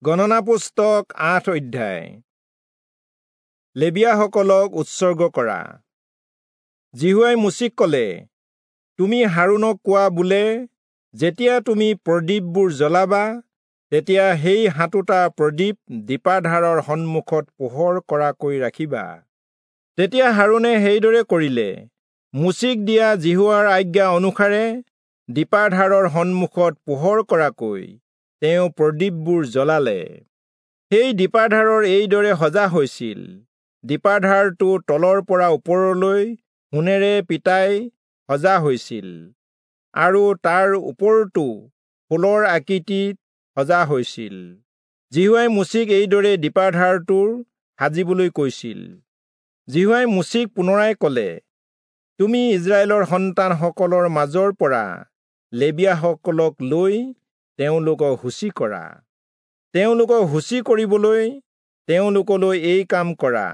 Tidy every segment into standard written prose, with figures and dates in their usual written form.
গণনা পুস্তক ৮ অধ্যায়। লেবীয়াসকলক উৎসৰ্গ কৰা। যিহোৱাই মোচিক ক'লে, তুমি হাৰোণক কোৱা বোলে, যেতিয়া তুমি প্ৰদীপবোৰ জ্বলাবা, তেতিয়া সেই ৭টা প্ৰদীপ দীপাধাৰৰ সন্মুখত পোহৰ কৰাকৈ ৰাখিবা। তেতিয়া হাৰোণে সেইদৰে কৰিলে। মোচিক দিয়া যিহোৱাৰ আজ্ঞা অনুসাৰে দীপাধাৰৰ সন্মুখত পোহৰ কৰাকৈ তেওঁ প্ৰদীপবোৰ জ্বলালে। সেই দীপাধাৰৰ এইদৰে সজা হৈছিল। দীপাধাৰটো তলৰ পৰা ওপৰলৈ সোণেৰে পিটাই সজা হৈছিল আৰু তাৰ ওপৰটো ফুলৰ আকৃতিত সজা হৈছিল। যিহোৱাই মোচিক এইদৰে দীপাধাৰটোৰ সাজিবলৈ কৈছিল। যিহোৱাই মোচিক পুনৰাই ক'লে, তুমি ইস্ৰায়েলৰ সন্তানসকলৰ মাজৰ পৰা লেবীয়াসকলক লৈ তেওঁলোকক শুচি কৰা। তেওঁলোকক শুচি কৰিবলৈ তেওঁলোকলৈ এই কাম কৰা,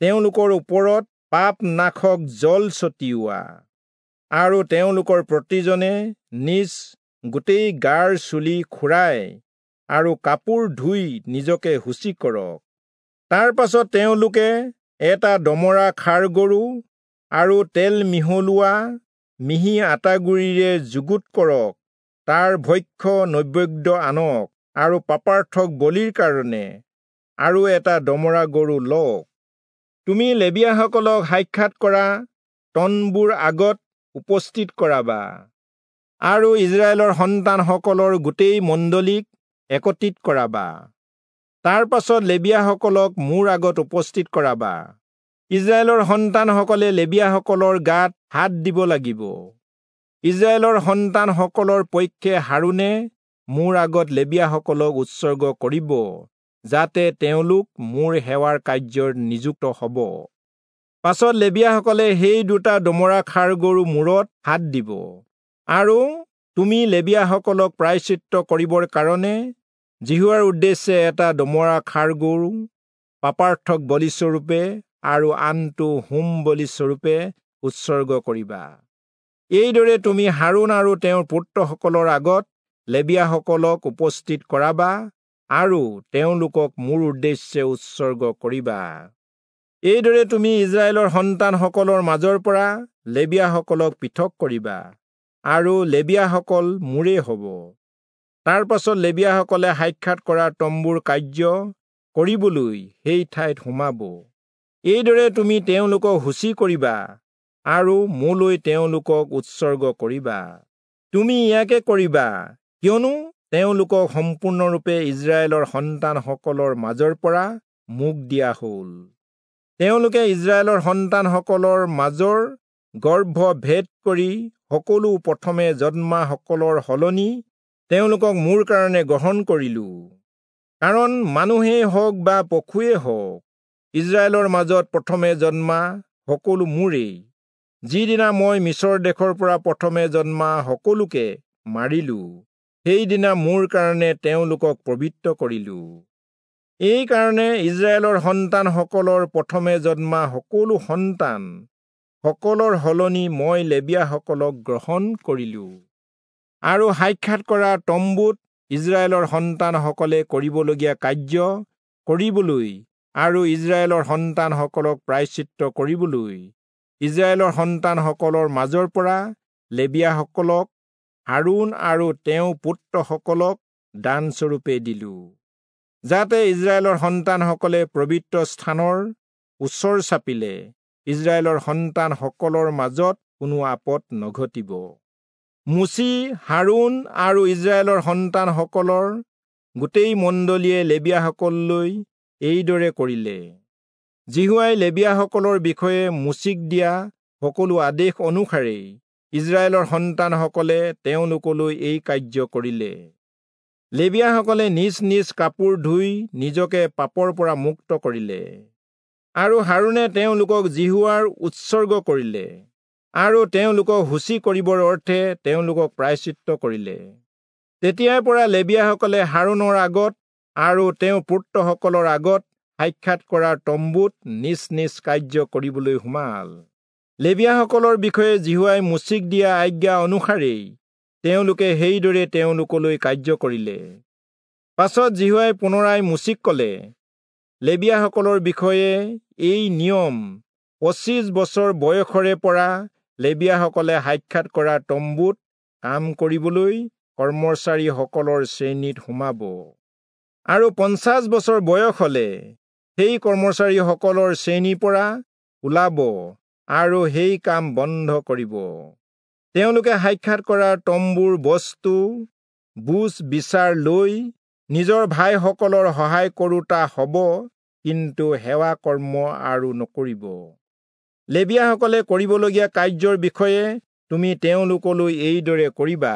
তেওঁলোকৰ ওপৰত পাপ নাশক জল ছটিওৱা আৰু তেওঁলোকৰ প্ৰতিজনে নিজ গোটেই গাৰ চুলি খুৰাই আৰু কাপোৰ ধুই নিজকে শুচি কৰক। তাৰ পাছত তেওঁলোকে এটা দমৰা ষাঁড় গৰু আৰু তেল মিহলোৱা মিহি আটাগুড়িৰে যুগুত কৰক, তাৰ ভক্ষ্য নৈবেদ্য আনক আৰু পাপাৰ্থক বলিৰ কাৰণে আৰু এটা দমৰা গৰু লওক। তুমি লেবীয়াসকলক সাক্ষাৎ কৰা তম্বুৰ আগত উপস্থিত কৰাবা আৰু ইস্ৰায়েলৰ সন্তানসকলৰ গোটেই মণ্ডলীক একত্ৰিত কৰাবা। তাৰ পাছত লেবীয়াসকলক মোৰ আগত উপস্থিত কৰাবা। ইস্ৰায়েলৰ সন্তানসকলে লেবীয়াসকলৰ গাত হাত দিব লাগিব। ইস্ৰায়েলৰ সন্তানসকলৰ পক্ষে হাৰোণে মোৰ আগত লেবীয়াসকলক উৎসৰ্গ কৰিব, যাতে তেওঁলোক মোৰ সেৱাৰ কাৰ্যত নিযুক্ত হ'ব। পাছত লেবীয়াসকলে সেই দুটা দমৰা ষাঁড় গৰু মূৰত হাত দিব আৰু তুমি লেবীয়াসকলক প্ৰায়শ্চিত্ত কৰিবৰ কাৰণে যিহোৱাৰ উদ্দেশ্যে এটা দমৰা ষাঁড় গৰু পাপাৰ্থক বলিস্বৰূপে আৰু আনটো হোম বলিস্বৰূপে উৎসৰ্গ কৰিবা। এইদৰে তুমি হাৰোণ আৰু তেওঁৰ পুত্ৰসকলৰ আগত লেবীয়াসকলক উপস্থিত কৰাবা আৰু তেওঁলোকক মোৰ উদ্দেশ্যে উৎসৰ্গ কৰিবা। এইদৰে তুমি ইস্ৰায়েলৰ সন্তানসকলৰ মাজৰ পৰা লেবীয়াসকলক পৃথক কৰিবা আৰু লেবীয়াসকল মোৰেই হ'ব। তাৰ পাছত লেবীয়াসকলে সাক্ষাৎ কৰা তম্বুৰ কাৰ্য কৰিবলৈ সেই ঠাইত সোমাব। এইদৰে তুমি তেওঁলোকক শুচি কৰিবা আৰু মোলৈ তেওঁলোকক উৎসৰ্গ কৰিবা। তুমি ইয়াকে কৰিবা, কিয়নো তেওঁলোকক সম্পূৰ্ণৰূপে ইস্ৰায়েলৰ সন্তানসকলৰ মাজৰ পৰা মোক দিয়া হ'ল। তেওঁলোকে ইস্ৰায়েলৰ সন্তানসকলৰ মাজৰ গৰ্ভ ভেদ কৰি সকলো প্ৰথমে জন্মাসকলৰ সলনি তেওঁলোকক মোৰ কাৰণে গ্ৰহণ কৰিলোঁ। কাৰণ মানুহেই হওক বা পশুৱেই হওক, ইস্ৰায়েলৰ মাজত প্ৰথমে জন্মা সকলো মোৰেই। যিদিনা মই মিচৰ দেশৰ পৰা প্ৰথমে জন্মা সকলোকে মাৰিলোঁ, সেইদিনা মোৰ কাৰণে তেওঁলোকক পবিত্ৰ কৰিলোঁ। এইকাৰণে ইস্ৰায়েলৰ সন্তানসকলৰ প্ৰথমে জন্মা সকলো সন্তান সকলৰ সলনি মই লেবীয়াসকলক গ্ৰহণ কৰিলোঁ। আৰু সাক্ষাৎ কৰা তম্বুত ইস্ৰায়েলৰ সন্তানসকলে কৰিবলগীয়া কাৰ্য কৰিবলৈ আৰু ইস্ৰায়েলৰ সন্তানসকলক প্ৰায়শ্চিত্ত কৰিবলৈ ইস্ৰায়েলৰ সন্তানসকলৰ মাজৰ পৰা লেবীয়াসকলক হাৰোণ আৰু তেওঁৰ পুত্ৰসকলক দানস্বৰূপে দিলোঁ, যাতে ইস্ৰায়েলৰ সন্তানসকলে পবিত্ৰ স্থানৰ ওচৰ চাপিলে ইস্ৰায়েলৰ সন্তানসকলৰ মাজত কোনো আপদ নঘটিব। মোচি, হাৰোণ আৰু ইস্ৰায়েলৰ সন্তানসকলৰ গোটেই মণ্ডলীয়ে লেবীয়াসকললৈ এইদৰে কৰিলে। যিহোৱাই লেবীয়াসকলৰ বিষয়ে মোচিক দিয়া সকলো আদেশ অনুসাৰেই ইস্ৰায়েলৰ সন্তানসকলে তেওঁলোকলৈ এই কাৰ্য কৰিলে। লেবীয়াসকলে নিজ নিজ কাপোৰ ধুই নিজকে পাপৰ পৰা মুক্ত কৰিলে আৰু হাৰোণে তেওঁলোকক যিহোৱাৰ উৎসৰ্গ কৰিলে আৰু তেওঁলোকক শুচি কৰিবৰ অৰ্থে তেওঁলোকক প্ৰায়শ্চিত্ত কৰিলে। তেতিয়াৰ পৰা লেবীয়াসকলে হাৰোণৰ আগত আৰু তেওঁৰ পুত্ৰসকলৰ আগত সাক্ষাৎ কৰা তম্বুত নিজ নিজ কাৰ্য কৰিবলৈ সোমাল। লেবীয়াসকলৰ বিষয়ে যিহোৱাই মোচিক দিয়া আজ্ঞা অনুসাৰেই তেওঁলোকে সেইদৰে তেওঁলোকলৈ কাৰ্য কৰিলে। পাছত যিহোৱাই পুনৰাই মোচিক ক'লে, লেবীয়াসকলৰ বিষয়ে এই নিয়ম, 25 বছৰ বয়সৰে পৰা লেবীয়াসকলে সাক্ষাৎ কৰা তম্বুত কাম কৰিবলৈ কৰ্মচাৰীসকলৰ শ্ৰেণীত সোমাব, আৰু 50 বছৰ বয়স হলে সেই কৰ্মচাৰীসকলৰ শ্ৰেণীৰ পৰা ওলাব আৰু সেই কাম বন্ধ কৰিব। তেওঁলোকে সাক্ষাৎ কৰা তম্বুৰ বস্তু বুজ বিচাৰ লৈ নিজৰ ভাইসকলৰ সহায় কৰোতা হ'ব, কিন্তু সেৱা কৰ্ম আৰু নকৰিব। লেবীয়াসকলে কৰিবলগীয়া কাৰ্যৰ বিষয়ে তুমি তেওঁলোকলৈ এইদৰে কৰিবা।